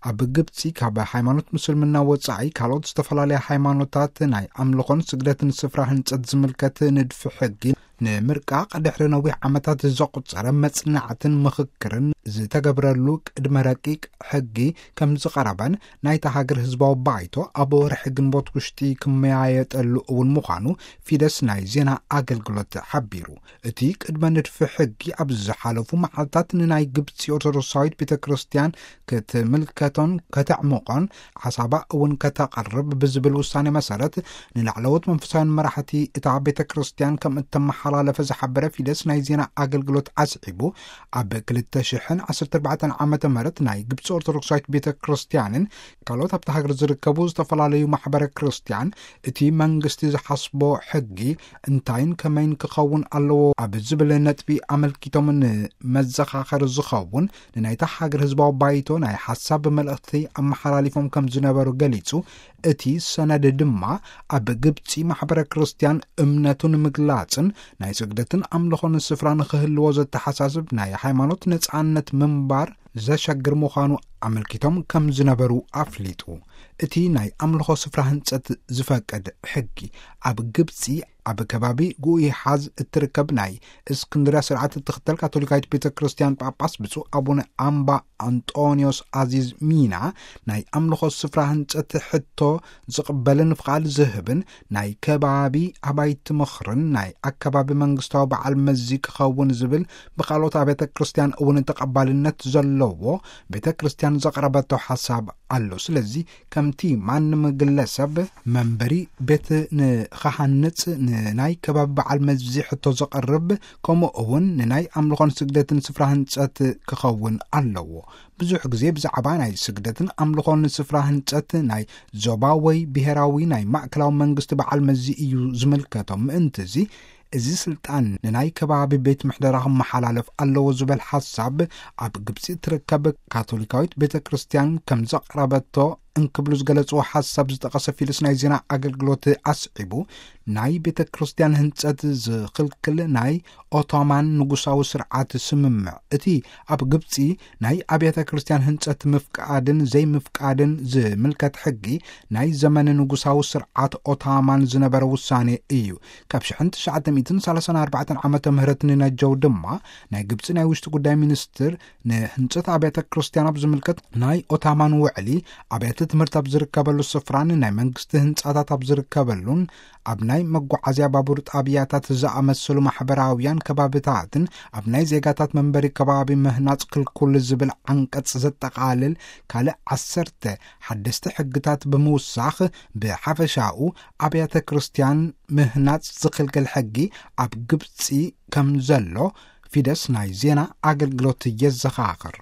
ኣብ ግብጺ ካብ ሃይማኖት ምስልምና ወጻኢ ካልኦት ዝተፈላለያ ሃይማኖታት ናይ ኣምልኾን ስግደትን ስፍራ ህንጸት ዝምልከት ንድፊ ሕጊ ንምርቃቕ ድሕሪ ነዊሕ ዓመታት ዘቑጸረ መጽናዕትን ምኽክርን ዝተገብረሉ ቅድመ ረቂቕ ሕጊ ከም ዝቐረበን ናይታ ሃገር ህዝባዊ ባይቶ ኣብ ወርሒ ግንቦት ውሽጢ ክመያየጠሉ እውን ምዃኑ ፊደስ ናይ ዜና ኣገልግሎት ሓቢሩ። እቲ ቅድመ ንድፊ ሕጊ ኣብ ዝሓለፉ መዓልታት ንናይ ግብጺ ኦርቶዶክሳዊት ቤተ ክርስቲያን ክትምልከቶን ከተዕምቖን ሓሳባ እውን ከተቐርብ ብዝብል ውሳኔ መሰረት ንላዕለዎት መንፈሳውያን መራሕቲ እታ ቤተ ክርስቲያን ከም እተመሓላለፈ ዝሓበረ ፊደስ ናይ ዜና ኣገልግሎት ኣስዒቡ፣ ኣብ ክልተ ሽሕን ዓሰርተ ኣርባዕተን ዓመተ ምህረት ናይ ግብጺ ኦርቶዶክሳዊት ቤተ ክርስቲያንን ካልኦት ኣብታ ሃገር ዝርከቡ ዝተፈላለዩ ማሕበረ ክርስቲያን እቲ መንግስቲ ዝሓስቦ ሕጊ እንታይን ከመይን ክኸውን ኣለዎ ኣብ ዝብል ነጥቢ ኣመልኪቶም ንመዘኻኸሪ ዝኸውን ንናይታ ሃገር ህዝባዊ ባይቶ ናይ ሓሳብ መልእኽቲ ኣመሓላሊፎም ከም ዝነበሩ ገሊጹ። እቲ ሰነድ ድማ ኣብ ግብጺ ማሕበረ ክርስቲያን እምነቱ ንምግላጽን ናይ ስግደትን ኣምልኾን ስፍራ ንኽህልዎ ዘተሓሳስብ ናይ ሃይማኖት ነጻነት ምንባር ዘሸግር ምዃኑ ኣመልኪቶም ከም ዝነበሩ ኣፍሊጡ። እቲ ናይ ኣምልኾ ስፍራ ህንጸት ዝፈቅድ ሕጊ ኣብ ግብጺ ኣብ ከባቢ ጉኢሓዝ እትርከብ ናይ እስክንድርያ ስርዓት እትኽተል ካቶሊካዊት ቤተ ክርስቲያን ጳጳስ ብፁዕ ኣቡነ ኣምባ ኣንጦንዮስ ኣዚዝ ሚና ናይ ኣምልኾ ስፍራ ህንጸት ሕቶ ዝቕበልን ፍቓድ ዝህብን ናይ ከባቢ ኣባይቲ ምኽርን ናይ ኣከባቢ መንግስታዊ በዓል መዚ ክኸውን ዝብል ብኻልኦት ኣብያተ ክርስቲያን እውን ተቐባልነት ዘለዎ ቤተ ክርስቲያን ዘቕረበቶ ሓሳብ ኣሎ። ስለዚ ከምቲ ማንም ግለሰብ መንበሪ ቤት ንኸሃንጽ ንናይ ከባቢ በዓል መዚ ሕቶ ዘቕርብ ከምኡ እውን ንናይ ኣምልኾን ስግደትን ስፍራ ህንጸት ክኸውን ኣለዎ። ብዙሕ ግዜ ብዛዕባ ናይ ስግደትን ኣምልኾን ስፍራ ህንጸት ናይ ዞባ ወይ ብሔራዊ ናይ ማእከላዊ መንግስቲ በዓል መዚ እዩ ዝምልከቶም። ምእንቲ እዚ፣ እዚ ስልጣን ንናይ ከባቢ ቤት ምሕደራ ክመሓላለፍ ኣለዎ ዝበል ሓሳብ ኣብ ግብጺ እትርከብ ካቶሊካዊት ቤተ ክርስቲያን ከም ዘቕረበቶ እንክብሉ ዝገለጽዎ ሓሳብ ዝጠቐሰ ፊልስ ናይ ዜና ኣገልግሎት ኣስዒቡ፣ ናይ ቤተ ክርስቲያን ህንጸት ዝኽልክል ናይ ኦቶማን ንጉሳዊ ስርዓት ስምምዕ፣ እቲ ኣብ ግብጺ ናይ ኣብያተ ክርስቲያን ህንጸት ምፍቃድን ዘይምፍቃድን ዝምልከት ሕጊ ናይ ዘመን ንጉሳዊ ስርዓት ኦታማን ዝነበረ ውሳኔ እዩ። ካብ ሽሕን ትሽዓተ ሚእትን ሰላሳን ኣርባዕተን ዓመተ ምህረት ንነጀው ድማ ናይ ግብጺ ናይ ውሽጢ ጉዳይ ሚኒስትር ንህንጸት ኣብያተ ክርስቲያን ኣብ ዝምልከት ናይ ኦታማን ውዕሊ ኣብያተ ትምህርቲ ኣብ ዝርከበሉ ስፍራን ናይ መንግስቲ ህንጻታት ኣብ ዝርከበሉን ኣብ ናይ መጓዓዝያ ባቡር ጣብያታት ዝኣመሰሉ ማሕበራውያን ከባብታትን ኣብ ናይ ዜጋታት መንበሪ ከባቢ ምህናጽ ክልኩል ዝብል ዓንቀጽ ዘጠቓልል ካልእ ዓሰርተ ሓደስቲ ሕግታት ብምውሳኽ ብሓፈሻኡ ኣብያተ ክርስቲያን ምህናጽ ዝኽልክል ሕጊ ኣብ ግብጺ ከም ዘሎ ፊደስ ናይ ዜና ኣገልግሎት የዘኻኽር።